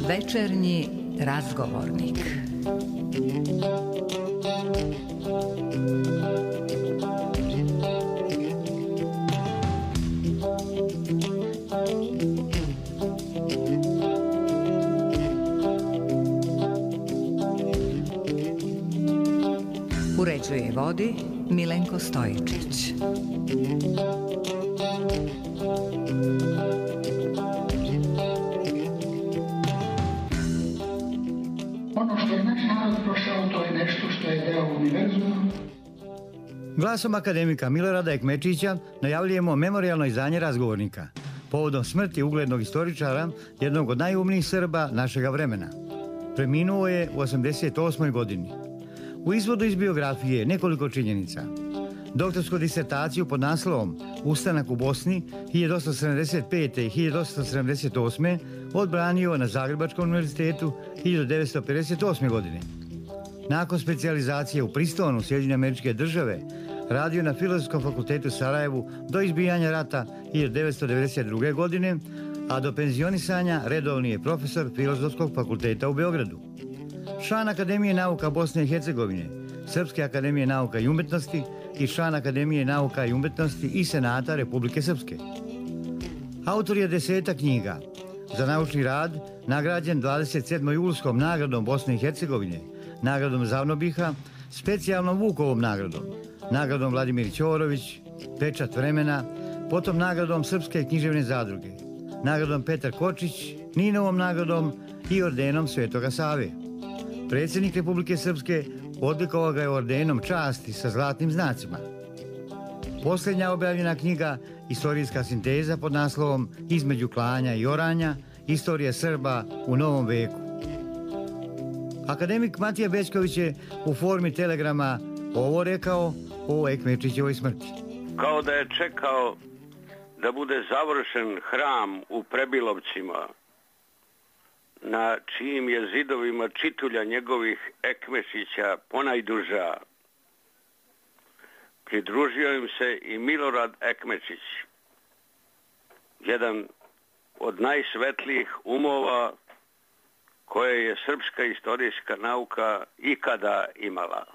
Večernji razgovornik. Uređuje i vodi Milenko Stojičić. Glasom akademika Milorada Ekmečića najavljujemo memorijalno izdanje razgovornika povodom smrti uglednog istoričara, jednog od najumnijih Srba našega vremena. Preminuo je u 88. godini. U izvodu iz biografije nekoliko činjenica. Doktorsku disertaciju pod naslovom Ustanak u Bosni 1875. i 1878. odbranio na Zagrebačkom univerzitetu 1958. godine. Nakon specijalizacije u Pristonu, Sjedinjene Američke Države, radio na Filozofskom fakultetu Sarajevu do izbijanja rata 1992. godine, a do penzionisanja redovni je profesor Filozofskog fakulteta u Beogradu. Član Akademije nauka Bosne i Hercegovine, Srpske akademije nauka i umetnosti i član Akademije nauka i umetnosti i Senata Republike Srpske. Autor je 10 knjiga. Za naučni rad nagrađen 27. julskom nagradom Bosne i Hercegovine, nagradom Zavnobiha, specijalnom Vukovom nagradom, nagradom Vladimir Ćorović, Pečat vremena, potom nagradom Srpske književne zadruge, nagradom Petar Kočić, Ninovom nagradom i ordenom Svetoga Save. Predsjednik Republike Srpske odlikovao ga je ordenom časti sa zlatnim znacima. Posljednja objavljena knjiga, istorijska sinteza pod naslovom Između klanja i oranja, istorija Srba u novom veku. Akademik Matija Bećković je u formi telegrama ovo rekao o Ekmečićevoj smrti. Kao da je čekao da bude završen hram u Prebilovcima, na čijim je zidovima čitulja njegovih Ekmešića ponajduža. Pridružio im se i Milorad Ekmečić, jedan od najsvetlijih umova koje je srpska istorijska nauka ikada imala.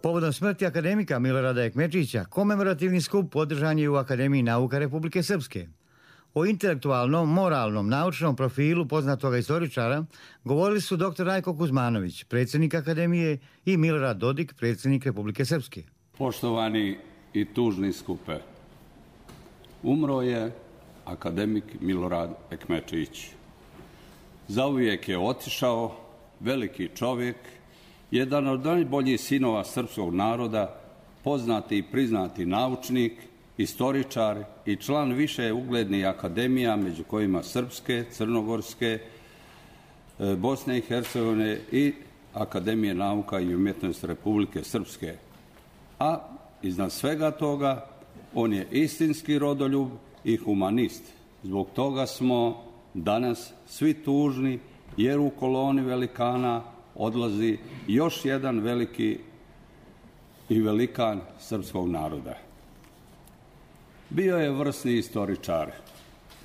Povodom smrti akademika Milorada Ekmečića, komemorativni skup održan je u Akademiji nauka Republike Srpske. O intelektualnom, moralnom, naučnom profilu poznatoga istoričara govorili su dr. Rajko Kuzmanović, predsjednik Akademije, i Milorad Dodik, predsjednik Republike Srpske. Poštovani i tužni skupe, umro je akademik Milorad Ekmečević. Zauvijek je otišao, veliki čovjek, jedan od najboljih sinova srpskog naroda, poznati i priznati naučnik, istoričar i član više uglednih akademija, među kojima Srpske, Crnogorske, Bosne i Hercegovine i Akademije nauka i umjetnosti Republike Srpske. A iznad svega toga, on je istinski rodoljub i humanist. Zbog toga smo danas svi tužni, jer u koloni velikana odlazi još jedan veliki i velikan srpskog naroda. Bio je vrsni istoričar,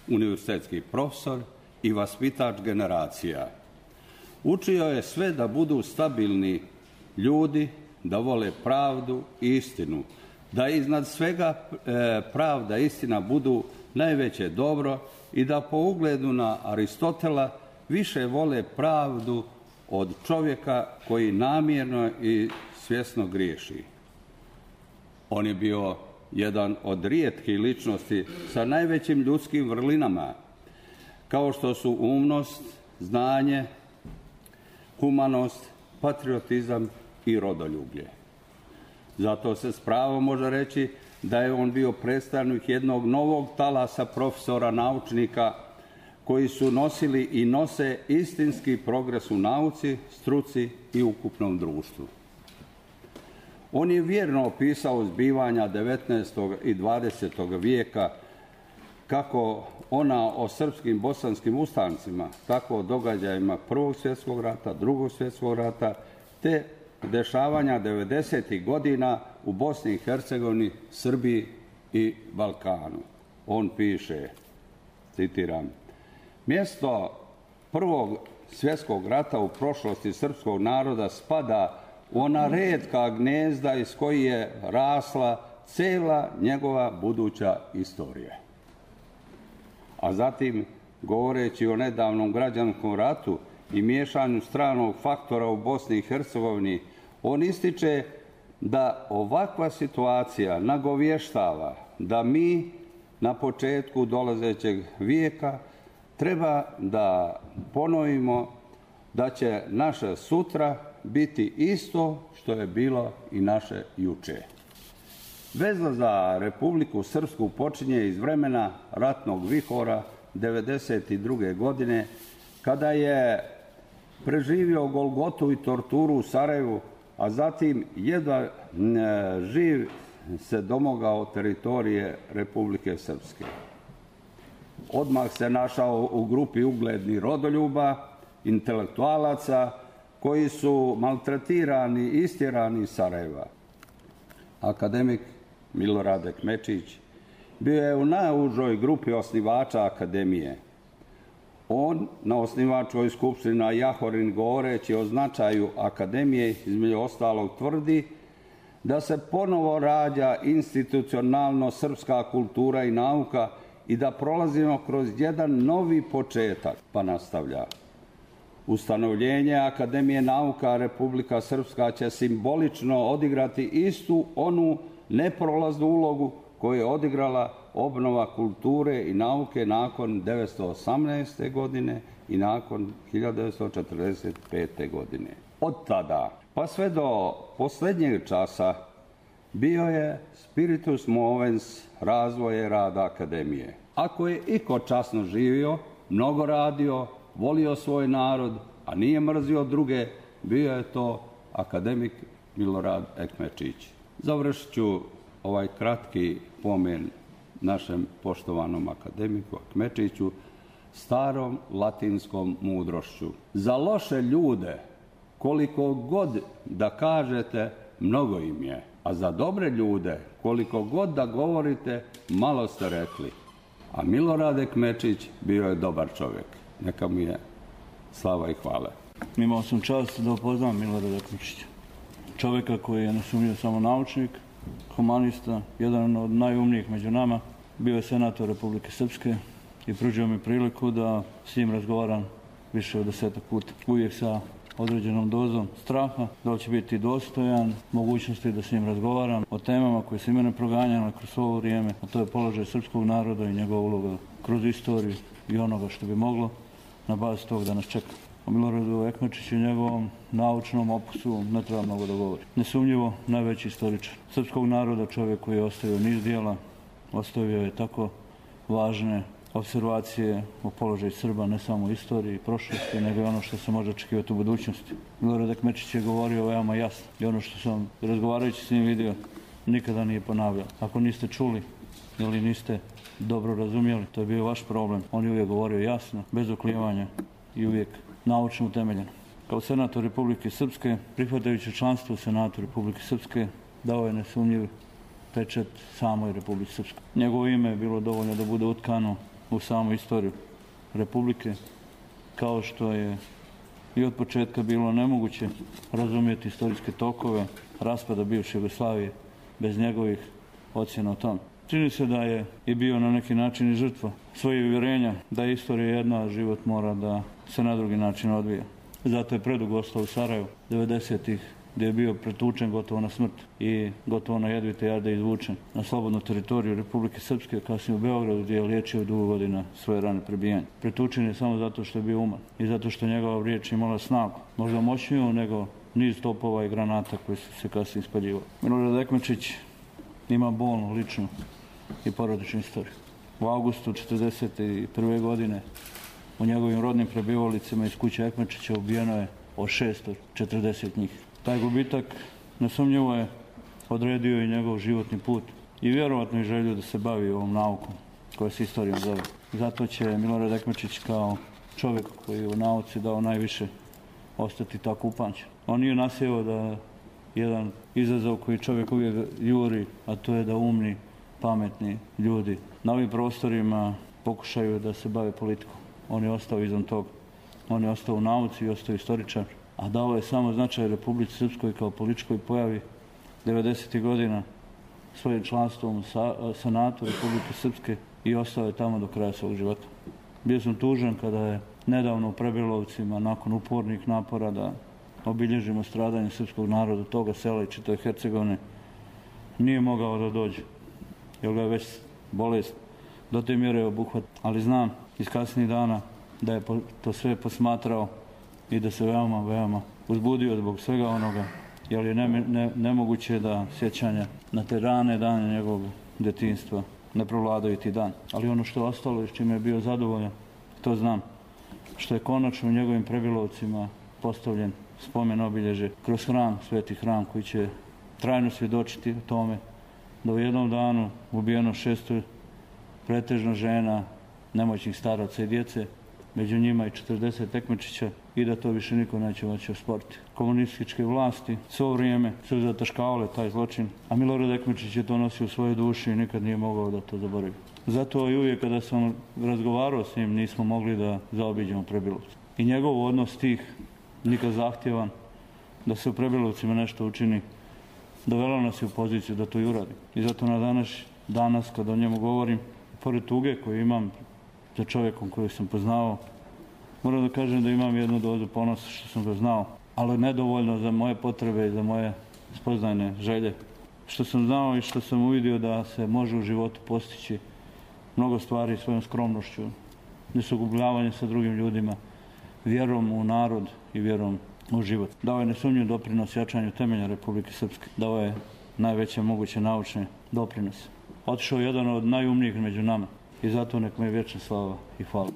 univerzitetski profesor i vaspitač generacija. Učio je sve da budu stabilni ljudi, da vole pravdu i istinu, da iznad svega pravda i istina budu najveće dobro i da po ugledu na Aristotela više vole pravdu od čovjeka koji namjerno i svjesno griješi. On je bio jedan od rijetkih ličnosti sa najvećim ljudskim vrlinama, kao što su umnost, znanje, humanost, patriotizam i rodoljublje. Zato se s pravom može reći da je on bio predstavnik jednog novog talasa profesora, naučnika, koji su nosili i nose istinski progres u nauci, struci i ukupnom društvu. On je vjerno opisao zbivanja 19. i 20. vijeka, kako ona o srpskim bosanskim ustancima, tako o događajima Prvog svjetskog rata, Drugog svjetskog rata, te dešavanja 90. godina u Bosni i Hercegovini, Srbiji i Balkanu. On piše, citiram, mjesto Prvog svjetskog rata u prošlosti srpskog naroda spada u ona retka gnezda iz koji je rasla cijela njegova buduća istorija. A zatim, govoreći o nedavnom građanskom ratu i miješanju stranog faktora u Bosni i Hercegovini, on ističe da ovakva situacija nagovještava da mi na početku dolazećeg vijeka treba da ponovimo da će naše sutra biti isto što je bilo i naše juče. Veza za Republiku Srpsku počinje iz vremena ratnog vihora 1992. godine, kada je preživio golgotu i torturu u Sarajevu, a zatim jedva živ se domogao teritorije Republike Srpske. Odmah se našao u grupi uglednih rodoljuba, intelektualaca, koji su maltretirani i istjerani iz Sarajeva. Akademik Milorad Ekmečević bio je u najužoj grupi osnivača akademije. On na osnivačkoj skupštini na Jahorin, govoreći o značaju akademije, između ostalog tvrdi da se ponovo rađa institucionalno srpska kultura i nauka i da prolazimo kroz jedan novi početak, pa nastavlja. Ustanovljenje Akademije nauka Republika Srpska će simbolično odigrati istu onu neprolaznu ulogu koju je odigrala obnova kulture i nauke nakon 1918. godine i nakon 1945. godine. Od tada pa sve do posljednjeg časa bio je spiritus movens razvoja rada akademije. Ako je iko časno živio, mnogo radio, volio svoj narod, a nije mrzio druge, bio je to akademik Milorad Ekmečević. Završit ću ovaj kratki pomen našem poštovanom akademiku Ekmečeviću starom latinskom mudrošću. Za loše ljude, koliko god da kažete, mnogo im je, a za dobre ljude, koliko god da govorite, malo ste rekli. A Milorad Ekmečević bio je dobar čovjek. Neka mu je slava i hvala. Imao sam čast da upoznam Milorada Ekmečevića. Čovjeka koji je nesumnjivo samo naučnik, humanista, jedan od najumnijih među nama. Bio je senator Republike Srpske i pružio mi priliku da s njim razgovaram više od 10 puta. Uvijek sa određenom dozom straha, da li će biti dostojan mogućnosti da s njim razgovaram o temama koje su mene proganjale kroz svo ovo vrijeme, a to je položaj srpskog naroda i njegova uloga kroz istoriju i onoga što bi moglo na bazi tog da nas čeka. O Miloradu Ekmečiću i njegovom naučnom opusu ne treba mnogo da govori. Nesumnjivo najveći istoričar srpskog naroda, čovjek koji je ostavio niz dijela, ostavio je tako važne observacije o položaju Srba, ne samo u istoriji i prošlosti, nego i ono što se može očekivati u budućnosti. Milorad Ekmečić je govorio veoma jasno i ono što sam razgovarajući s njim vidio nikada nije ponavljao. Ako niste čuli ili niste dobro razumjeli, to je bio vaš problem. On je uvijek govorio jasno, bez oklijevanja i uvijek naučno utemeljeno. Kao senator Republike Srpske, prihvatajući članstvo u Senatu Republike Srpske, dao je nesumnjiv pečat samoj Republici Srpskoj. Njegovo ime je bilo dovoljno da bude utkano u samu istoriju Republike, kao što je i od početka bilo nemoguće razumjeti istorijske tokove raspada bivše Jugoslavije bez njegovih ocjena o tom. Čini se da je i bio na neki način i žrtva svojih uvjerenja da je istorija jedna, a život mora da se na drugi način odvija. Zato je predugo ostao u Sarajevu 90-ih, gdje je bio pretučen gotovo na smrt i gotovo na jedvite jarde izvučen na slobodnu teritoriju Republike Srpske, kasnije u Beogradu, gdje je liječio dugo godina svoje rane prebijanja. Pretučen je samo zato što je bio uman i zato što njegova riječ imala snagu, možda moćniju nego niz topova i granata koji su se kasnije ispaljivali. Milorad Ekmečić ima bolnu, ličnu i porodičnu istoriju. U avgustu 1941. godine u njegovim rodnim prebivalicama iz kuće Ekmečića ubijeno je od 640 njih. Taj gubitak nesumnjivo je odredio i njegov životni put i vjerovatno i želju da se bavi ovom naukom koja se istorijom zove. Zato će Milorad Ekmečić kao čovjek koji je u nauci dao najviše ostati tako upamćen. On nije nasjeo da jedan izazov koji čovjek uvijek juri, a to je da umni, pametni ljudi na ovim prostorima pokušaju da se bave politikom. On je ostao izvan toga. On je ostao u nauci i ostao istoričar, a dao je samo značaj Republici Srpskoj kao političkoj pojavi 90. godina svojim članstvom u Senatu Republike Srpske i ostao je tamo do kraja svog života. Bio sam tužan kada je nedavno u Prebilovcima, nakon upornih napora da obilježimo stradanje srpskog naroda, toga sela i čitave Hercegovine, nije mogao da dođe, jer ga je već bolest do te mjere obuhvat. Ali znam iz kasnijih dana da je to sve posmatrao i da se veoma uzbudio zbog svega onoga, jer je nemoguće da sjećanja na te rane dane njegovog djetinjstva ne provladaju ti dan. Ali ono što je ostalo i s čime je bio zadovoljan, to znam, što je konačno u njegovim Prebilovcima postavljen spomen obilježe kroz hram, sveti hram koji će trajno svjedočiti tome da u jednom danu ubijeno 600 pretežno žena, nemoćnih staraca i djece, među njima i 40 Ekmečića, i da to više niko neće moći osporiti. Komunističke vlasti svo vrijeme su zataškavale taj zločin, a Milorad Ekmečić je to nosio u svojoj duši i nikad nije mogao da to zaboravi. Zato i uvijek kada sam razgovarao s njim nismo mogli da zaobiđemo Prebilovce. I njegov odnos tih, nikad zahtjevan, da se u Prebilovcima nešto učini, dovelo nas je u poziciju da to i uradi. I zato danas kada o njemu govorim, pored tuge koju imam za čovjekom koju sam poznao, moram da kažem da imam jednu dozu ponosa što sam ga znao, ali nedovoljno za moje potrebe i za moje spoznajne želje. Što sam znao i što sam uvidio da se može u životu postići mnogo stvari svojom skromnošću, nesugubljavanje sa drugim ljudima, vjerom u narod i vjerom u život. Dao je nesumnjiv doprinos jačanju temelja Republike Srpske. Dao je najveće moguće naučne doprinose. Otišao je jedan od najumnijih među nama i zato nek mu je vječna slava i hvala.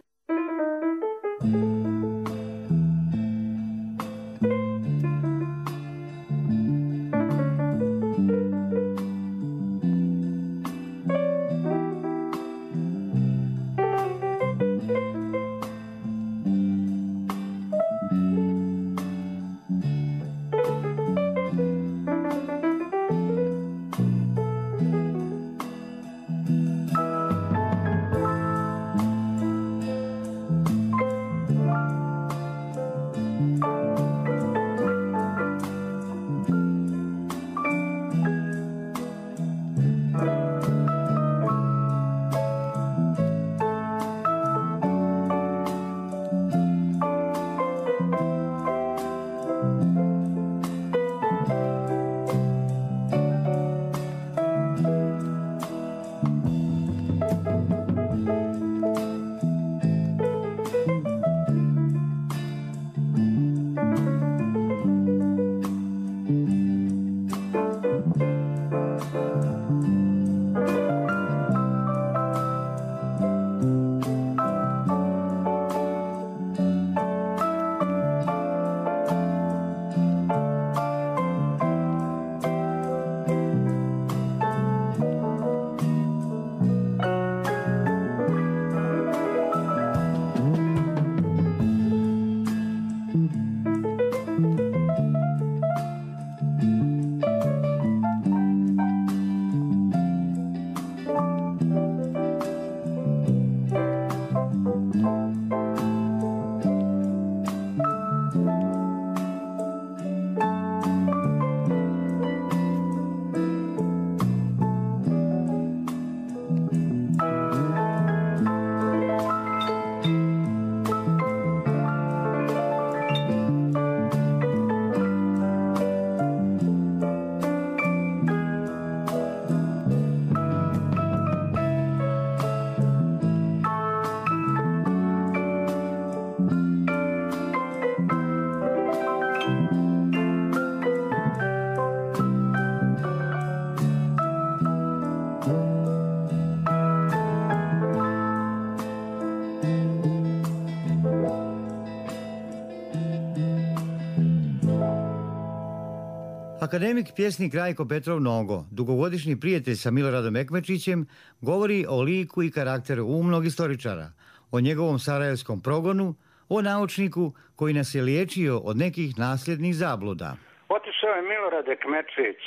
Akademik pjesnik Rajko Petrov Nogo, dugogodišnji prijatelj sa Miloradom Ekmečićem, govori o liku i karakteru umnog istoričara, o njegovom sarajevskom progonu, o naučniku koji nas je liječio od nekih nasljednih zabluda. Otišao je Milorad Ekmečić.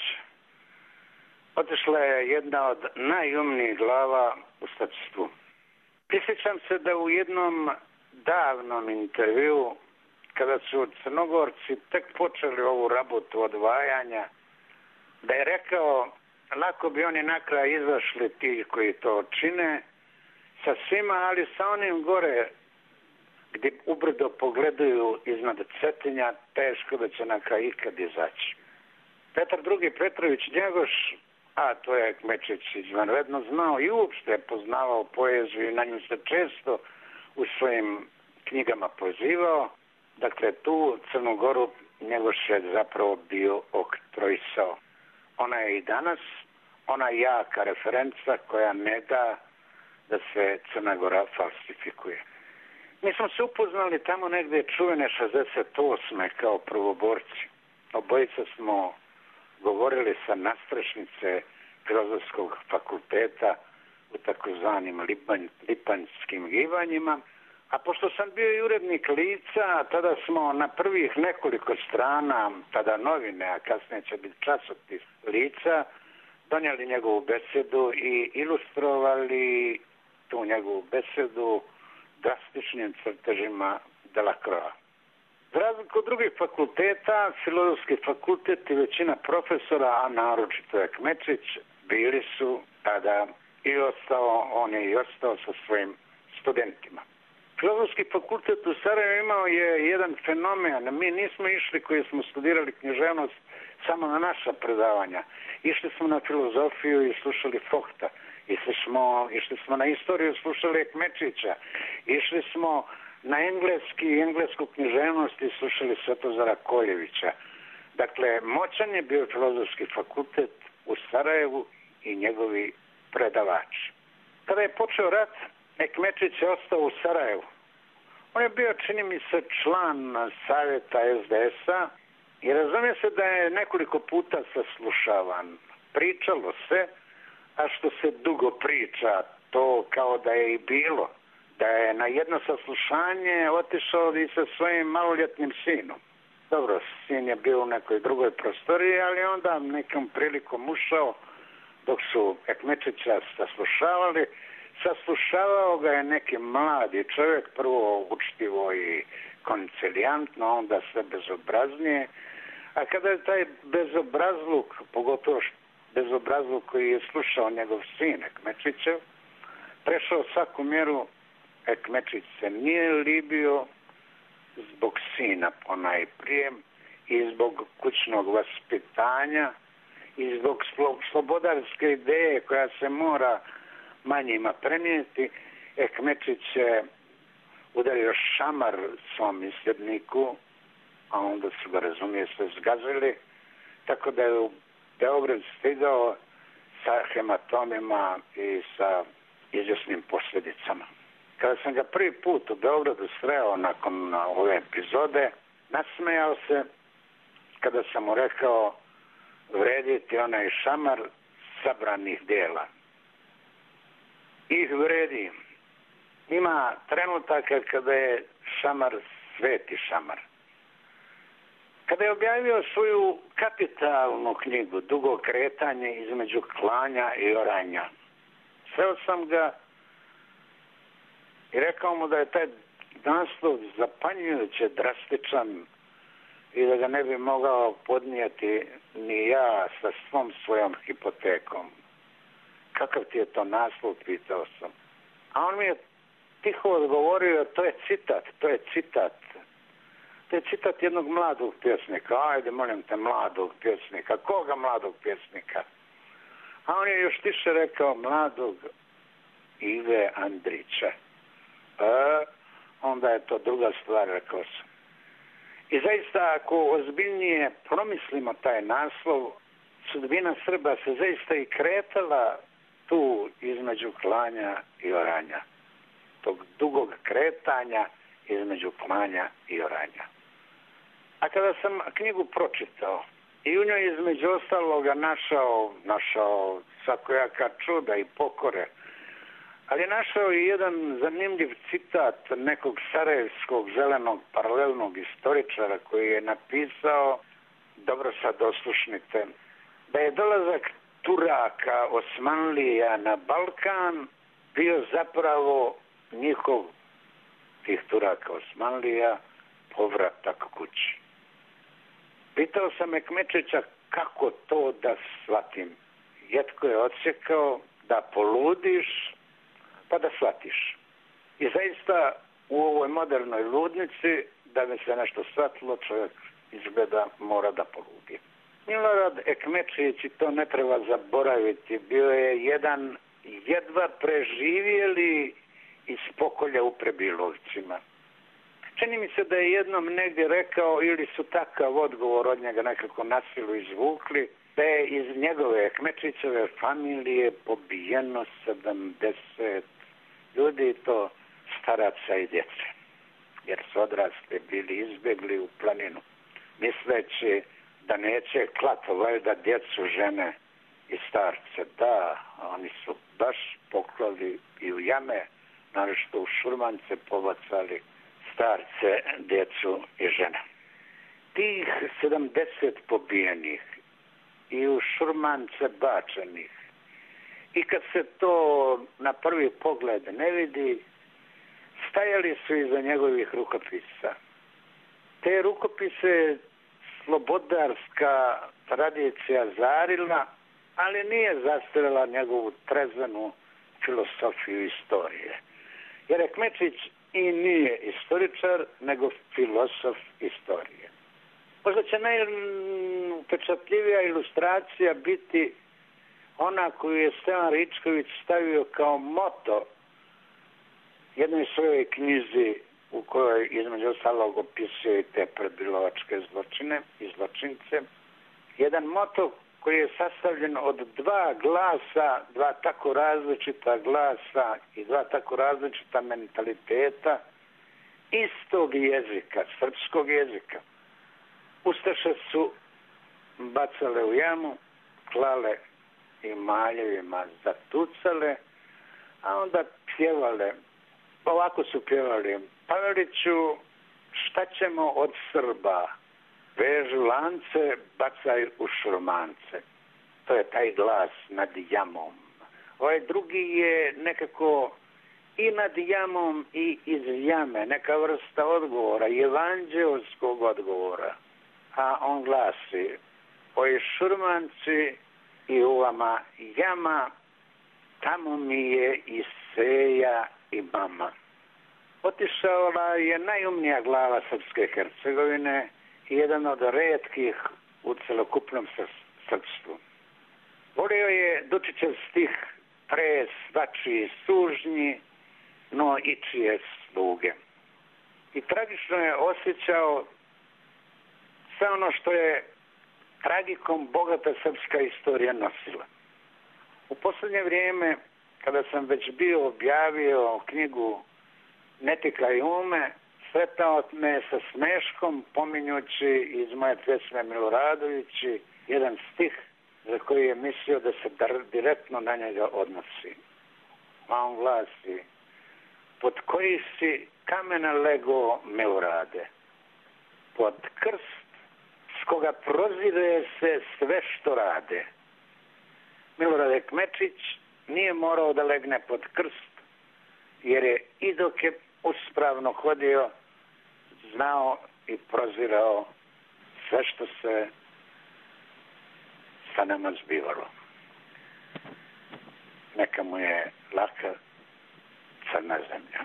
Otišla je jedna od najumnijih glava u statstvu. Prisjećam se da u jednom davnom intervju, kada su Crnogorci tek počeli ovu rabotu odvajanja, da je rekao, lako bi oni na kraj izašli ti koji to čine, sa svima, ali sa onim gore gdje ubrdo pogledaju iznad Cetinja, teško da će na kraj ikad izaći. Petar II. Petrović Njegoš, a to je Ekmečić izvanredno znao i uopšte je poznavao poeziju i na nju se često u svojim knjigama pozivao. Dakle, tu Crnu Goru Njegoš je zapravo bio oktroisao. Ona je i danas, ona je jaka referenca koja ne da da se Crna Gora falsifikuje. Mi smo se upoznali tamo negdje čuvene 68. kao prvoborci. Obojica smo govorili sa nastrešnice Filozofskog fakulteta u takozvanim lipanjskim gibanjima. A pošto sam bio i urednik Lica, tada smo na prvih nekoliko strana, tada novine, a kasnije će biti časopis Lica, donijeli njegovu besedu i ilustrovali tu njegovu besedu drastičnim crtežima Delacroix. Za razliku od drugih fakulteta, Filozofski fakultet i većina profesora, a naročito Ekmečić, bili su tada on je i ostao sa svojim studentima. Filozofski fakultet u Sarajevu imao je jedan fenomen. Mi nismo išli koji smo studirali književnost samo na naša predavanja. Išli smo na filozofiju i slušali Fohta. Išli smo na istoriju, slušali Ekmečića. Išli smo na englesku književnost i slušali Svetozara Koljevića. Dakle, moćan je bio Filozofski fakultet u Sarajevu i njegovi predavači. Kada je počeo rat, Ekmečić je ostao u Sarajevu. On je bio, čini mi se, član savjeta SDS-a i razumije se da je nekoliko puta saslušavan. Pričalo se, a što se dugo priča, to kao da je i bilo, da je na jedno saslušanje otišao i sa svojim maloljetnim sinom. Dobro, sin je bio u nekoj drugoj prostoriji, ali onda nekom prilikom ušao dok su Ekmečića saslušavali. Saslušavao ga je neki mladi čovjek, prvo učtivo i konciliantno, onda sve bezobraznije. A kada je taj bezobrazluk, pogotovo bezobrazluk koji je slušao njegov sin Ekmečićev, prešao svaku mjeru, Ekmečić se nije libio zbog sina ponajprije i zbog kućnog vaspitanja i zbog slobodarske ideje koja se mora manjima prenijeti. Ekmečić je udario šamar svom isljedniku, a onda su ga, razumije se, zgazili, tako da je u Beograd stigao sa hematomima i sa izvjesnim posljedicama. Kada sam ga prvi put u Beogradu sreo nakon ove epizode, nasmejao se kada sam mu rekao vrediti onaj šamar sabranih dijela. I vredi. Ima trenutaka kada je šamar sveti šamar. Kada je objavio svoju kapitalnu knjigu Dugo kretanje između klanja i oranja, sreo sam ga i rekao mu da je taj naslov zapanjujuće drastičan i da ga ne bi mogao podnijeti ni ja sa svom svojom hipotekom. Kakav ti je to naslov, pitao sam. A on mi je tiho odgovorio, to je citat. To je citat jednog mladog pjesnika. Ajde, molim te, mladog pjesnika. Koga mladog pjesnika? A on je još tiše rekao mladog Ive Andrića. Onda je to druga stvar, rekao sam. I zaista, ako ozbiljnije promislimo taj naslov, sudbina Srba se zaista i kretala tu između klanja i oranja. Tog dugog kretanja između klanja i oranja. A kada sam knjigu pročitao, i u njoj između ostaloga našao svakojaka čuda i pokore. Ali je našao i jedan zanimljiv citat nekog sarajevskog zelenog paralelnog istoričara koji je napisao, dobro sad oslušnite, da je dolazak Turaka, Osmanlija na Balkan bio zapravo njihov, tih Turaka, Osmanlija, povratak kući. Pitao sam Ekmečića kako to da shvatim. Jetko je odsjekao da poludiš pa da shvatiš. I zaista u ovoj modernoj ludnici, da bi se nešto shvatilo, čovjek izgleda mora da poludi. Milorad Ekmečić, i to ne treba zaboraviti, bio je jedan jedva preživjeli iz pokolja u Prebilovcima. Čini mi se da je jednom negdje rekao, ili su takav odgovor od njega nekako na silu izvukli, da je iz njegove Ekmečićeve familije pobijeno 70 ljudi, to staraca i djece. Jer su odrasli bili izbjegli u planinu, misleći da neće klato valjda djecu, žene i starce. Da, oni su baš poklali i u jame, naročito u šurmance pobacali starce, djecu i žene. Tih 70 pobijenih i u šurmance bačenih, i kad se to na prvi pogled ne vidi, stajali su iza njegovih rukopisa. Te rukopise slobodarska tradicija zarila, ali nije zastarila njegovu trezvenu filosofiju istorije. Jer Ekmečić i nije istoričar, nego filosof istorije. Možda će najupečatljivija ilustracija biti ona koju je Stevan Ričković stavio kao moto jednoj svojoj knjizi u kojoj između ostalog opisuje i te prebilovačke zločine i zločince. Jedan moto koji je sastavljen od dva glasa, dva tako različita glasa i dva tako različita mentaliteta istog jezika, srpskog jezika. Ustaše su bacale u jamu, klale i maljevima zatucale, a onda pjevale. Ovako su pjevali: Paveliću, šta ćemo od Srba? Vežu lance, bacaj u šurmance. To je taj glas nad jamom. Ovaj drugi je nekako i nad jamom i iz jame, neka vrsta odgovora, evanđelskog odgovora. A on glasi: ovi šurmanci i u vama jama, tamo mi je i seja i mama. Otišala je najumnija glava Srpske Hercegovine i jedan od retkih u celokupnom srpstvu. Volio je Dučićev stih: pre svačiji sužnji, no i čije sluge. I tragično je osjećao sve ono što je tragikom bogata srpska istorija nosila. U posljednje vrijeme, kada sam već bio objavio knjigu Netika i ume, sretao me sa smeškom pominjući iz moje pjesme Miloradovići jedan stih za koji je mislio da se direktno na njega odnosi. A on glasi: pod koji si kamena lego, Milorade? Pod krst s koga prozire se sve što rade. Milorad Ekmečić nije morao da legne pod krst, jer je i dok je uspravno hodio znao i prozirao sve što se sa nama zbivalo. Neka mu je laka crna zemlja.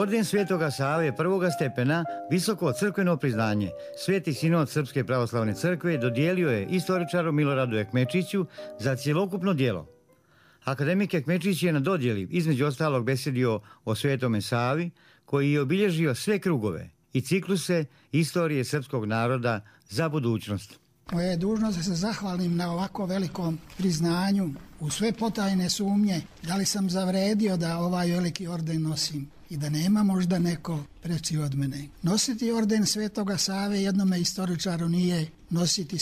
Orden Svetoga Save prvoga stepena, visoko crkveno priznanje, Sveti sinod Srpske pravoslavne crkve dodijelio je istoričaru Miloradu Ekmečiću za cjelokupno djelo. Akademik Ekmečić je na dodjeli između ostalog besedio o Svetome Savi, koji je obilježio sve krugove i cikluse istorije srpskog naroda za budućnost. Moja je dužnost da se zahvalim na ovako velikom priznanju u sve potajne sumnje da li sam zavredio da ovaj veliki orden nosim i da nema možda neko preći od mene. Nositi orden Svetoga Save jednome istoričaru nije nositi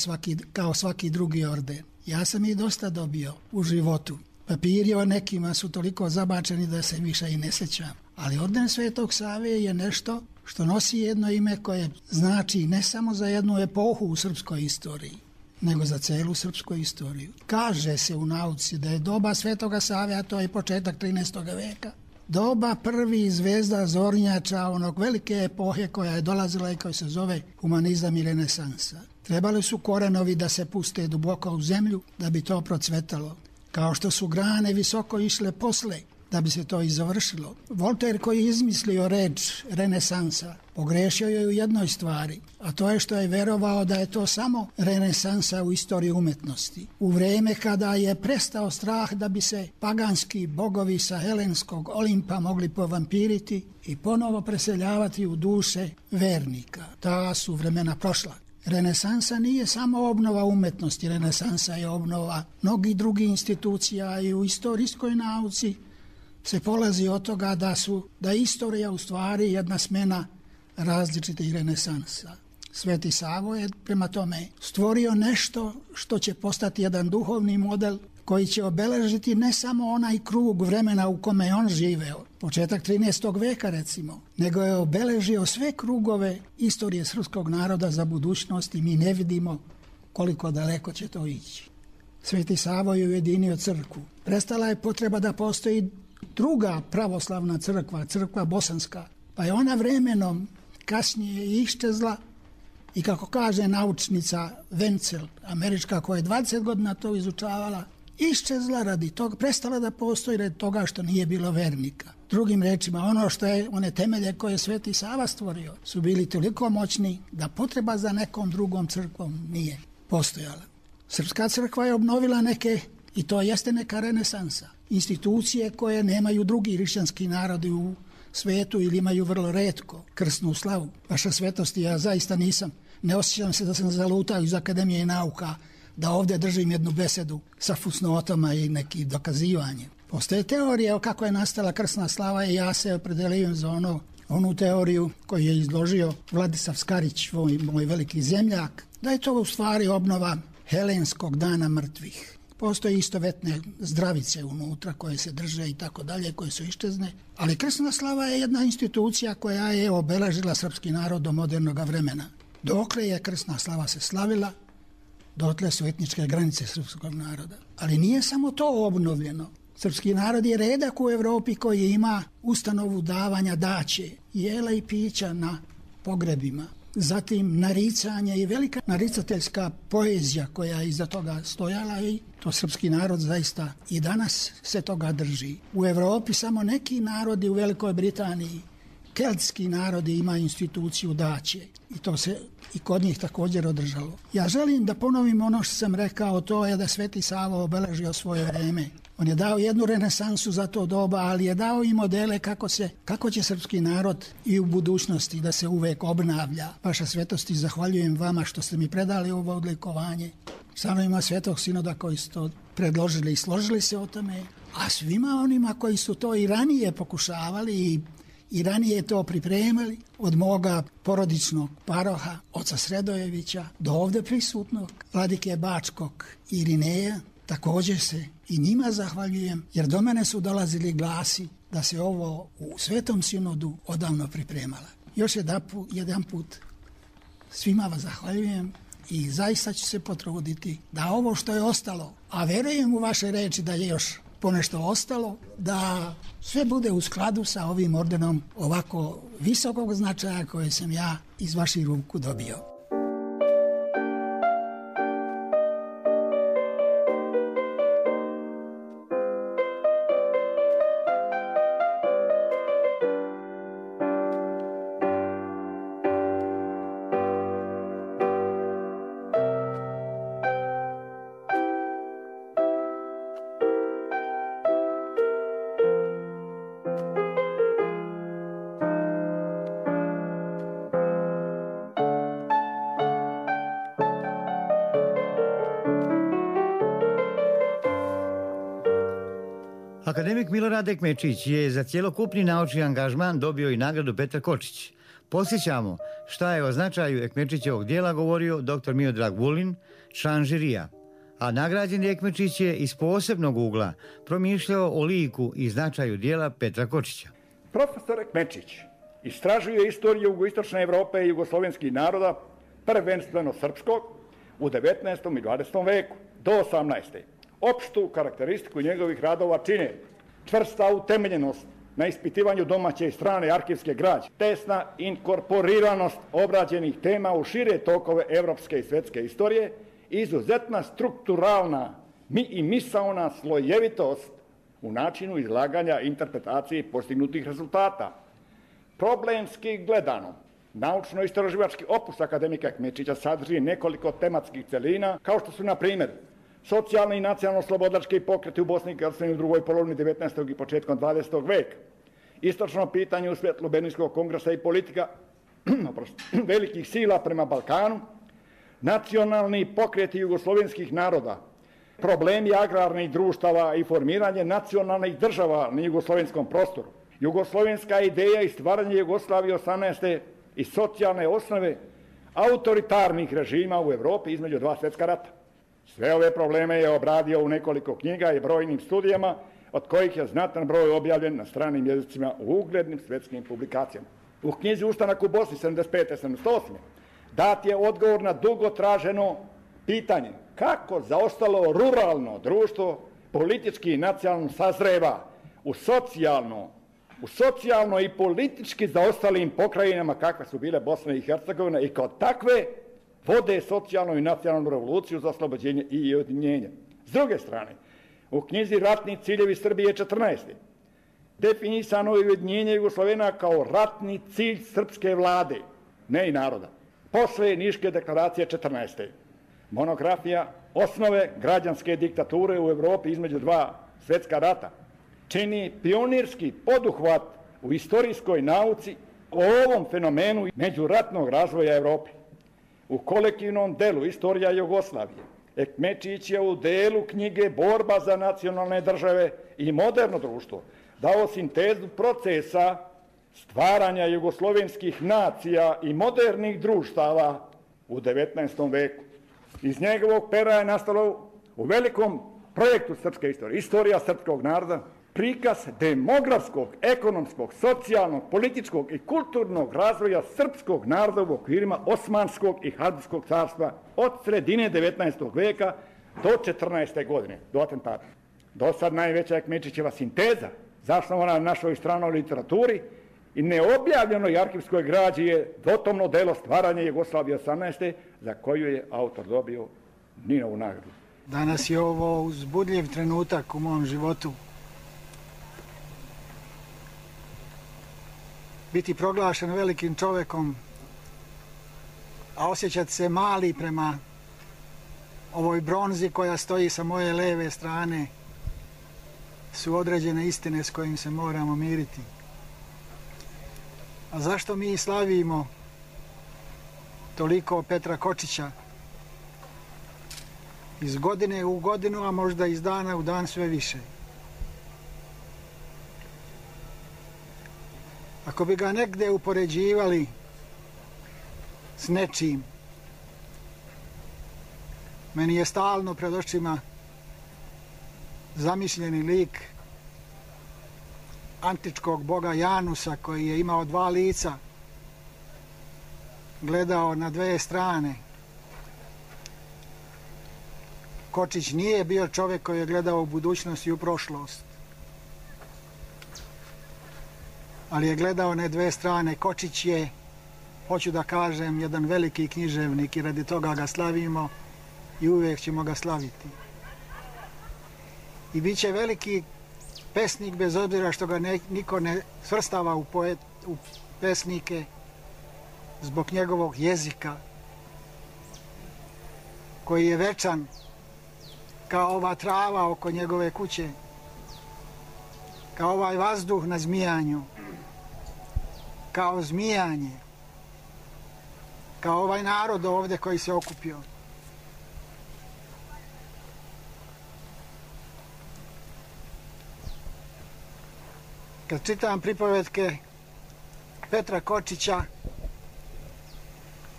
kao svaki drugi orden. Ja sam ih dosta dobio u životu. Papiri o nekima su toliko zabačeni da se više i ne sjećam. Ali orden Svetog Save je nešto što nosi jedno ime koje znači ne samo za jednu epohu u srpskoj istoriji, nego za celu srpsku istoriju. Kaže se u nauci da je doba Svetoga Save, a to je početak 13. veka, doba prvi zvezda zornjača onog velike epohe koja je dolazila i koja se zove humanizam i renesansa. Trebali su korenovi da se puste duboko u zemlju da bi to procvetalo, kao što su grane visoko išle posle da bi se to i završilo. Voltaire, koji je izmislio reč renesansa, pogrešio je u jednoj stvari, a to je što je verovao da je to samo renesansa u istoriji umetnosti. U vrijeme kada je prestao strah da bi se paganski bogovi sa helenskog Olimpa mogli povampiriti i ponovo preseljavati u duše vernika. Ta su vremena prošla. Renesansa nije samo obnova umetnosti, renesansa je obnova mnogih drugih institucija i u istorijskoj nauci se polazi od toga da je istorija u stvari jedna smena različitih renesansa. Sveti Savo je prema tome stvorio nešto što će postati jedan duhovni model koji će obeležiti ne samo onaj krug vremena u kome je on živeo, početak 13. veka recimo, nego je obeležio sve krugove istorije srpskog naroda za budućnost i mi ne vidimo koliko daleko će to ići. Sveti Savo je ujedinio crkvu. Prestala je potreba da postoji druga pravoslavna crkva, crkva bosanska, pa je ona vremenom kasnije iščezla i kako kaže naučnica Wenzel, američka, koja je 20 godina to izučavala, iščezla radi toga, prestala da postoji radi toga što nije bilo vernika. Drugim rečima, one temelje koje je Sveti Sava stvorio su bili toliko moćni da potreba za nekom drugom crkvom nije postojala. Srpska crkva je obnovila neke, i to jeste neka renesansa, institucije koje nemaju drugi hrišćanski narodi u svetu ili imaju vrlo retko krsnu slavu. Vaša svetosti, ja zaista ne osjećam se da sam zalutao iz Akademije nauka da ovdje držim jednu besedu sa fusnotama i neki dokazivanje. Postoje teorije o kako je nastala krsna slava i ja se opredelujem za onu teoriju koju je izložio Vladislav Skarić, moj veliki zemljak, da je to u stvari obnova helenskog dana mrtvih. Postoje istovetne zdravice unutra koje se drže i tako dalje, koje su iščezne, ali krsna slava je jedna institucija koja je obeležila srpski narod do modernog vremena. Dokle je krsna slava se slavila, dotle su etničke granice srpskog naroda. Ali nije samo to obnovljeno. Srpski narod je redak u Evropi koji ima ustanovu davanja daće, jela i pića na pogrebima. Zatim naricanje i velika naricateljska poezija koja je iza toga stojala i to srpski narod zaista i danas se toga drži. U Evropi samo neki narodi, u Velikoj Britaniji, keltski narodi ima instituciju daće i to se i kod njih također održalo. Ja želim da ponovim ono što sam rekao, to je da Sveti Savo obeležio svoje vreme. On je dao jednu renesansu za to doba, ali je dao i modele kako će srpski narod i u budućnosti da se uvek obnavlja. Vaša svetosti, zahvaljujem vama što ste mi predali ovo odlikovanje. Članovima Svetog sinoda koji su to predložili i složili se o tome, a svima onima koji su to i ranije pokušavali i ranije to pripremali, od moga porodičnog paroha, oca Sredojevića, do ovdje prisutnog vladike Bačkog Irineja, također se i njima zahvaljujem, jer do mene su dolazili glasi da se ovo u Svetom sinodu odavno pripremala. Još jedan put svima vas zahvaljujem i zaista ću se potruditi da ovo što je ostalo, a verujem u vaše reči da je još ponešto ostalo, da sve bude u skladu sa ovim ordenom ovako visokog značaja koje sam ja iz vaših ruku dobio. Akademik Milorad Ekmečić je za cjelokupni naučni angažman dobio i nagradu Petar Kočić. Posjećamo šta je o značaju Ekmečićevog dijela govorio dr. Miodrag Vulin, član žirija, a nagrađeni Ekmečić je iz posebnog ugla promišljao o liku i značaju dijela Petra Kočića. Profesor Ekmečić istražuje istoriju jugoistočne Evrope i jugoslovenskih naroda, prvenstveno srpskog, u 19. i 20. veku do 18. Opštu karakteristiku njegovih radova čine čvrsta utemeljenost na ispitivanju domaće i strane arhivske građe, tesna inkorporiranost obrađenih tema u šire tokove evropske i svetske istorije, izuzetna strukturalna i misaona slojevitost u načinu izlaganja interpretacije postignutih rezultata. Problemski gledano, naučno-istraživački opus akademika Ekmečića sadrži nekoliko tematskih celina, kao što su, na primjer, socijalni i nacionalno-slobodački pokreti u Bosni i Hercegovini u drugoj polovini 19. i početkom 20. veka, istočno pitanje u svjetlu Berlinskog kongresa i politika velikih sila prema Balkanu, nacionalni pokreti jugoslovenskih naroda, problemi agrarnih društava i formiranje nacionalnih država na jugoslovenskom prostoru, jugoslovenska ideja i stvaranje Jugoslavije 18. i socijalne osnove autoritarnih režima u Evropi između dva svjetska rata. Sve ove probleme je obradio u nekoliko knjiga i brojnim studijama, od kojih je znatan broj objavljen na stranim jezicima u uglednim svjetskim publikacijama. U knjizi Ustanak u Bosni 75-78 dat je odgovor na dugo traženo pitanje kako zaostalo ruralno društvo politički i nacionalno sazreva u socijalno i politički zaostalim pokrajinama kakve su bile Bosna i Hercegovina i kao takve vode socijalnu i nacionalnu revoluciju za oslobođenje i ujedinjenje. S druge strane, u knjizi Ratni ciljevi Srbije 14. definisano je ujedinjenje Jugoslovena kao ratni cilj srpske vlade, ne i naroda, posle Niške deklaracije 14. Monografija Osnove građanske diktature u Evropi između dva svjetska rata čini pionirski poduhvat u istorijskoj nauci o ovom fenomenu međuratnog razvoja Evrope. U kolektivnom delu Istorija Jugoslavije Ekmečić je u delu knjige Borba za nacionalne države i moderno društvo dao sintezu procesa stvaranja jugoslovenskih nacija i modernih društava u 19. veku. Iz njegovog pera je nastalo u velikom projektu srpske istorije, Istorija srpskog naroda, prikaz demografskog, ekonomskog, socijalnog, političkog i kulturnog razvoja srpskog naroda u okvirima Osmanskog i Habsburškog carstva od sredine 19. veka do 14. godine, do atentata. Do sad najveća Ekmečićeva sinteza, zasnovana na našoj stranoj literaturi i neobjavljenoj arhivskoj građi je dotomno delo Stvaranje Jugoslavije 18. za koju je autor dobio Ninovu nagradu. Danas je ovo uzbudljiv trenutak u mom životu. Biti proglašen velikim čovekom, a osjećati se mali prema ovoj bronzi koja stoji sa moje leve strane su određene istine s kojim se moramo miriti. A zašto mi slavimo toliko Petra Kočića? Iz godine u godinu, a možda iz dana u dan sve više. Ako bi ga negde upoređivali s nečim, meni je stalno pred očima zamišljeni lik antičkog boga Janusa koji je imao dva lica, gledao na dve strane. Kočić nije bio čovjek koji je gledao u budućnost i u prošlost, ali je gledao na dve strane. Kočić je, hoću da kažem, jedan veliki književnik i radi toga ga slavimo i uvijek ćemo ga slaviti. I bit će veliki pesnik bez obzira što ga niko ne svrstava u pesnike zbog njegovog jezika koji je večan kao ova trava oko njegove kuće, kao ovaj vazduh na zmijanju, kao zmijanje, kao ovaj narod ovdje koji se okupio. Kad čitam pripovetke Petra Kočića,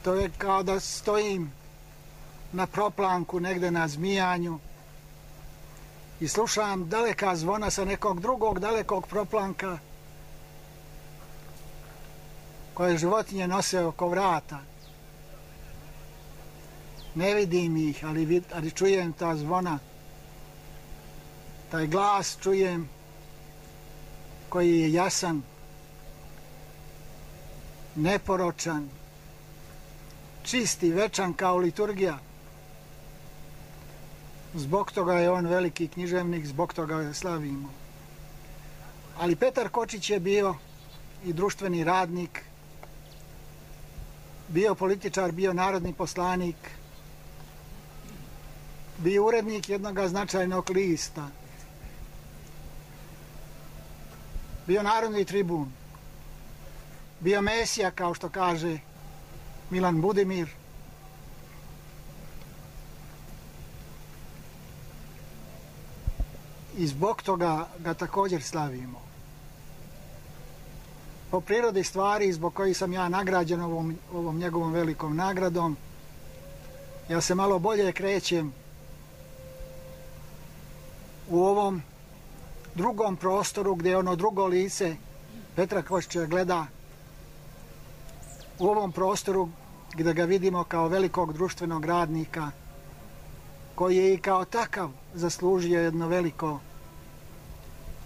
to je kao da stojim na proplanku negde na Zmijanju i slušam daleka zvona sa nekog drugog dalekog proplanka koje životinje nose oko vrata. Ne vidim ih, ali čujem ta zvona, taj glas čujem koji je jasan, neporočan, čist i večan kao liturgija. Zbog toga je on veliki književnik, zbog toga ga slavimo. Ali Petar Kočić je bio i društveni radnik, bio političar, bio narodni poslanik, bio urednik jednog značajnog lista, bio narodni tribun, bio mesija, kao što kaže Milan Budimir. I zbog toga ga također slavimo. Po prirodi stvari zbog kojih sam ja nagrađen ovom njegovom velikom nagradom, ja se malo bolje krećem u ovom drugom prostoru gdje ono drugo lice Petra Kočića gleda, u ovom prostoru gdje ga vidimo kao velikog društvenog radnika koji je i kao takav zaslužio jedno veliko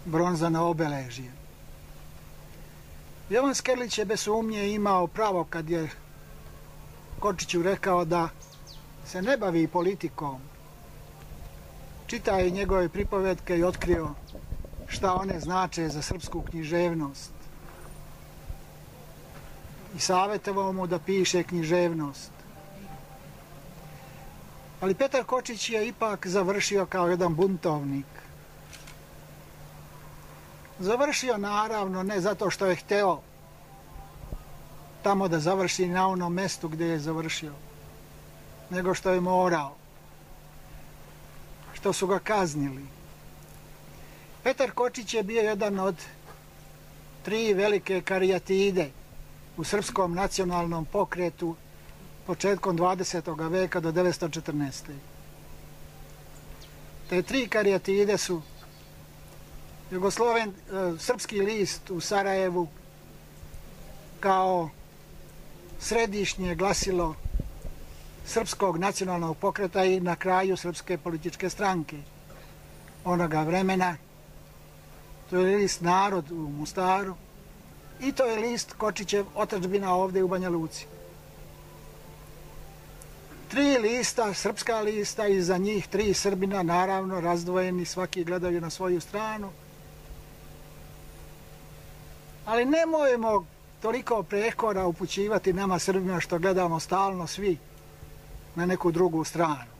bronzano obeležje. Jovan Skerlić je bez sumnje imao pravo kad je Kočiću rekao da se ne bavi politikom. Čitao je njegove pripovetke i otkrio šta one znače za srpsku književnost. I savjetovao mu da piše književnost. Ali Petar Kočić je ipak završio kao jedan buntovnik. Završio naravno ne zato što je hteo tamo da završi na onom mestu gdje je završio, nego što je morao, što su ga kaznili. Petar Kočić je bio jedan od 3 velike karijatide u srpskom nacionalnom pokretu početkom 20. veka do 1914. Te 3 karijatide su Srpski list u Sarajevu kao središnje glasilo srpskog nacionalnog pokreta i na kraju srpske političke stranke onoga vremena. To je list Narod u Mostaru i to je list Kočićev Otadžbina ovdje u Banja Luci. 3 lista, srpska lista i za njih 3 Srbina, naravno razdvojeni, svaki gledaju na svoju stranu. Ali nemojmo toliko prekora upućivati nama Srbima što gledamo stalno svi na neku drugu stranu.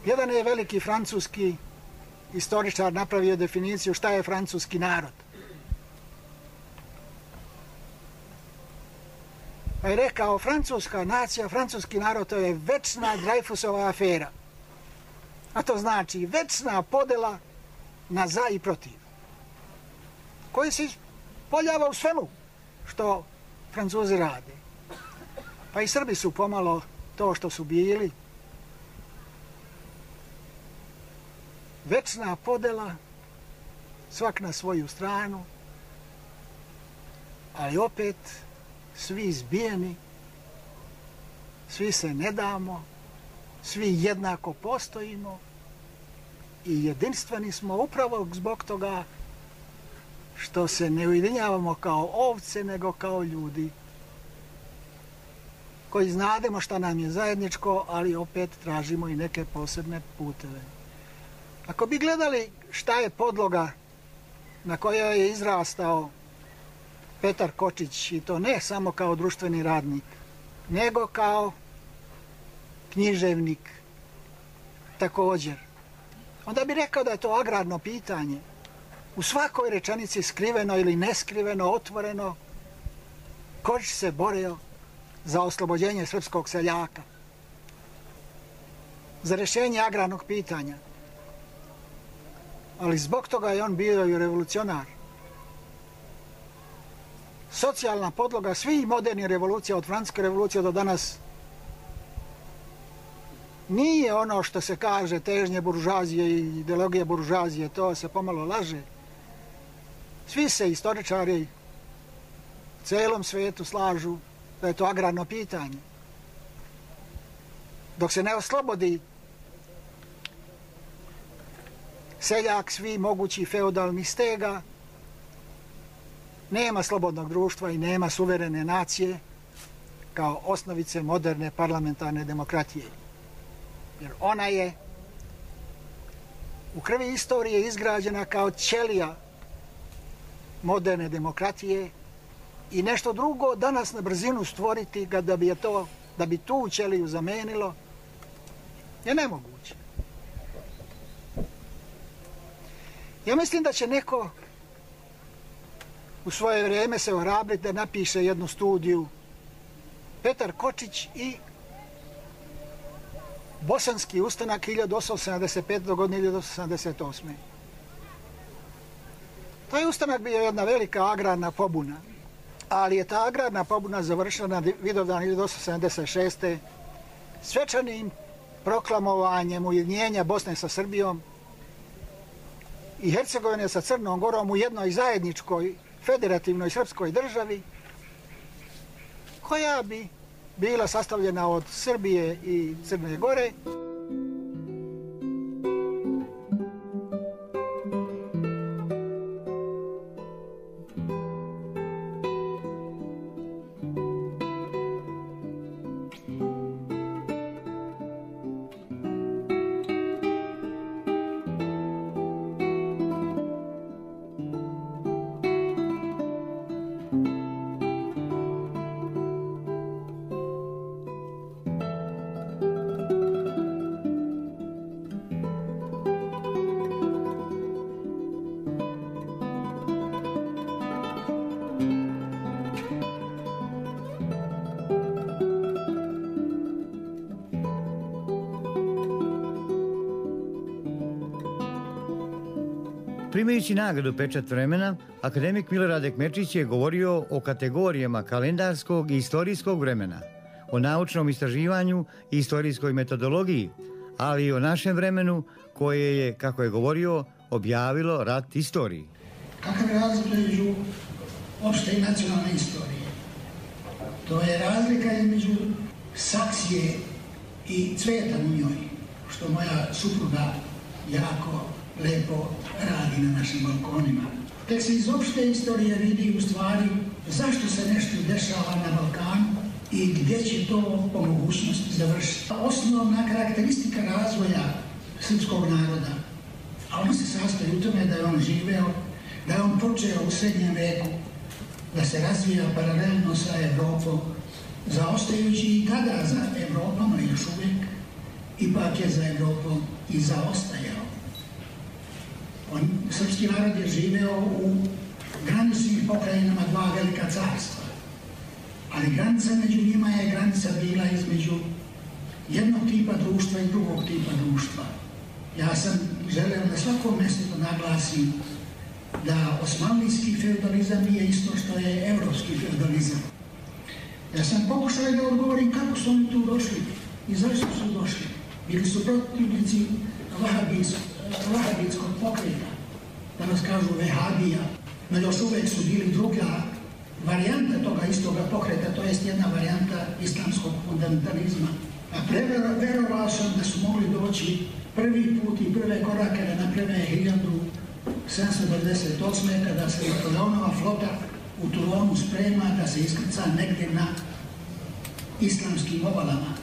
Jedan je veliki francuski istoričar napravio definiciju šta je francuski narod. Pa je rekao, francuska nacija, francuski narod, to je večna Dreyfusova afera. A to znači večna podela na za i protiv, koji se ispoljava u svemu što Francuzi rade. Pa i Srbi su pomalo to što su bili. Večna podela, svak na svoju stranu, ali opet svi izbijeni, svi se ne damo, svi jednako postojimo i jedinstveni smo upravo zbog toga što se ne ujedinjavamo kao ovce, nego kao ljudi koji znademo šta nam je zajedničko, ali opet tražimo i neke posebne puteve. Ako bi gledali šta je podloga na kojoj je izrastao Petar Kočić, i to ne samo kao društveni radnik, nego kao književnik također, onda bi rekao da je to agrarno pitanje. U svakoj rečenici skriveno ili neskriveno, otvoreno, Kočić se borio za oslobođenje srpskog seljaka, za rješenje agrarnog pitanja. ali zbog toga je on bio i revolucionar. Socijalna podloga svih modernih revolucija, od Francuske revolucije do danas, nije ono što se kaže težnje buržuazije i ideologije buržuazije, to se pomalo laže. Svi se istoričari u celom svetu slažu da je to agrarno pitanje. Dok se ne oslobodi seljak svi mogući feudalnih stega, nema slobodnog društva i nema suverene nacije kao osnovice moderne parlamentarne demokratije. Jer ona je u krvi istorije izgrađena kao ćelija moderne demokratije i nešto drugo danas na brzinu stvoriti ga da bi tu ćeliju zamenilo je nemoguće. Ja mislim da će neko u svoje vrijeme se ohrabriti da napiše jednu studiju, Petar Kočić i Bosanski ustanak 1875. do godine 1878. Taj ustanak bio jedna velika agrarna pobuna, ali je ta agrarna pobuna završila na Vidovdan 1876. svečanim proklamovanjem ujedinjenja Bosne sa Srbijom i Hercegovine sa Crnom Gorom u jednoj zajedničkoj federativnoj srpskoj državi koja bi bila sastavljena od Srbije i Crne Gore. Primajući nagradu Pečat vremena, akademik Milorad Ekmečić je govorio o kategorijama kalendarskog i istorijskog vremena, o naučnom istraživanju i istorijskoj metodologiji, ali i o našem vremenu koje je, kako je govorio, objavilo rat istoriji. Kakav je razlika između opšte i nacionalne istorije? To je razlika između saksije i cveta u njoj, što moja supruga jako lepo radi na našim balkonima. Tek se iz opšte istorije vidi u stvari zašto se nešto dešava na Balkanu i gdje će to po mogućnosti završiti. Osnovna karakteristika razvoja srpskog naroda, a on se sastoji u tome da je on živeo, da je on počeo u srednjem veku, da se razvija paralelno sa Evropom, zaostajući i tada za Evropom, a još uvijek, ipak je za Evropom i zaostajao. Srpski narod je živeo u graničnim pokrajinama dva velika carstva, ali granica među njima je granica bila između jednog tipa društva i drugog tipa društva. Ja sam želeo na svakom mjestu naglasim da osmanlijski feudalizam nije isto što je evropski feudalizam. Ja sam pokušao da odgovorim kako su oni tu došli i zašto su došli. Bili su protivnici vahabijskog pokreta, danas kažu vehabija, no još uvijek su bili druga varijanta toga istoga pokreta, to jest jedna varijanta islamskog fundamentalizma. A verovao sam da su mogli doći prvi put i prve korake da naprave 1798. kada se Napoleonova flota u Toulonu sprema da se iskrca negdje na islamskim obalama.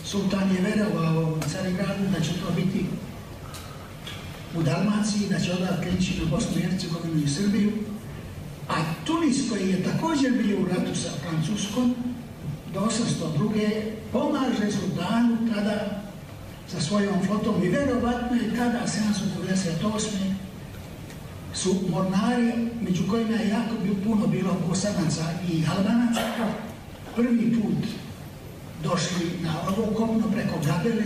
Sultan je verovao u Carigradu da će to biti u Dalmaciji, da će odavde kreći na Bosnu i Hercegovinu i Srbiju, a Tunis koji je također bio u ratu sa Francuskom do 802. pomaže sultanu tada sa svojom flotom i verovatno je tada 798. su mornari, među kojima je jako puno bilo Bosanaca i Albanaca, prvi put došli na ovo kopno preko Gabele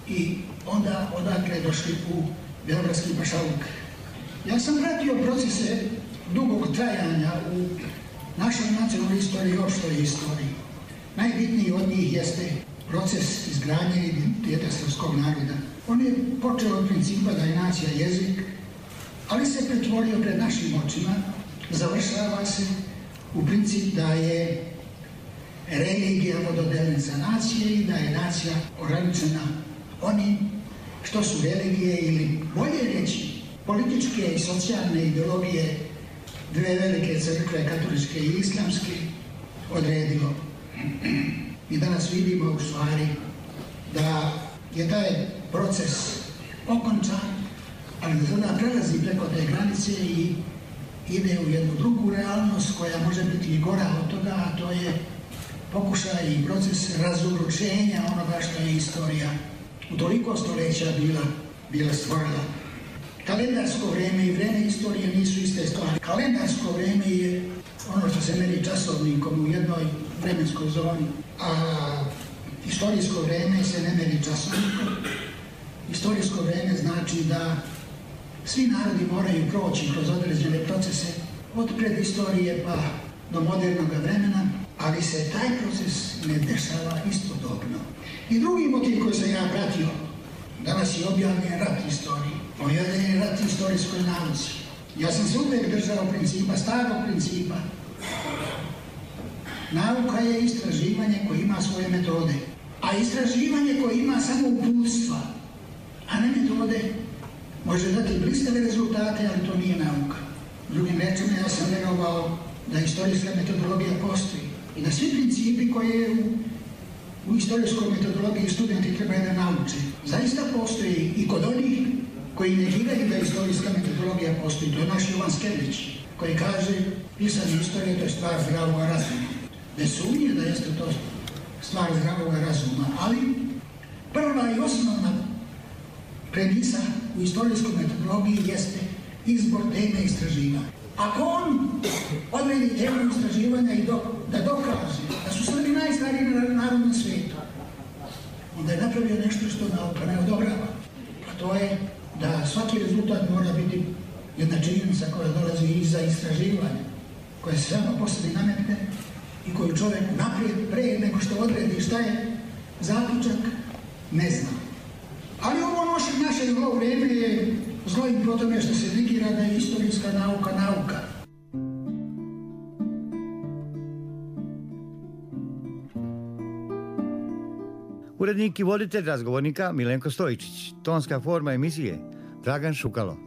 i onda odakle došli u beogradski pašaluk. Ja sam pratio procese dugog trajanja u našoj nacionalnoj istoriji i opštoj istoriji. Najbitniji od njih jeste proces izgradnje identiteta srpskog naroda. On je počeo od principa da je nacija jezik, ali se pretvorio pred našim očima, završava se u princip da je religija vododelnica nacije i da je nacija ograničena onim što su religije ili bolje reći političke i socijalne ideologije dve velike crkve, katoličke i islamske, odredilo. Mi danas vidimo u stvari da je taj proces okončan, ali da sada prelazi preko te granice i ide u jednu drugu realnost koja može biti i gora od toga, a to je pokušaj i proces razoručenja onoga što je istorija u toliko stoljeća bila stvorila. Kalendarsko vreme i vreme istorije nisu iste stvari. Kalendarsko vreme je ono što se meri časovnikom u jednoj vremenskoj zoni, a istorijsko vreme se ne meri časovnikom. Istorijsko vreme znači da svi narodi moraju proći kroz određene procese od predistorije pa do modernog vremena, ali se taj proces ne dešava istodobno. I drugi motiv koji sam ja pratio, danas je objavljen rat istoriji, objavljen je rat istorijskoj nauci. Ja sam se uvijek držao principa, starog principa. Nauka je istraživanje koje ima svoje metode, a istraživanje koje ima samo uputstva, a ne metode, može dati blistave rezultate, ali to nije nauka. Drugim rečima, ja sam vjerovao da istorijska metodologija postoji i da svi principi koje u istorijskoj metodologiji studenti trebaju da nauče zaista postoji i kod onih koji negiraju da istorijska metodologija postoji. To je naš Jovan Skerlić, koji kaže pisanje istorije to je stvar zdravog razuma. Bez sumnje da jeste to stvar zdravog razuma, ali prva i osnovna premisa u istorijskoj metodologiji jeste izbor teme istraživanja. Ako on odredi temu istraživanja i da dokaže da su Srbi najstariji narod na svijetu, onda je napravio nešto što nauka ne odobrava. A to je da svaki rezultat mora biti jedna činjenica koja dolazi iza istraživanja, koja se samo po sebi nametne i koju čovjek naprijed, pre nego što odredi šta je zaključak, ne zna. Ali ovo naše zlo vrijeme je zlo i po tome što se negira da je istorijska nauka nauka. Urednik i voditelj razgovornika Milenko Stojičić. Tonska forma emisije Dragan Šukalo.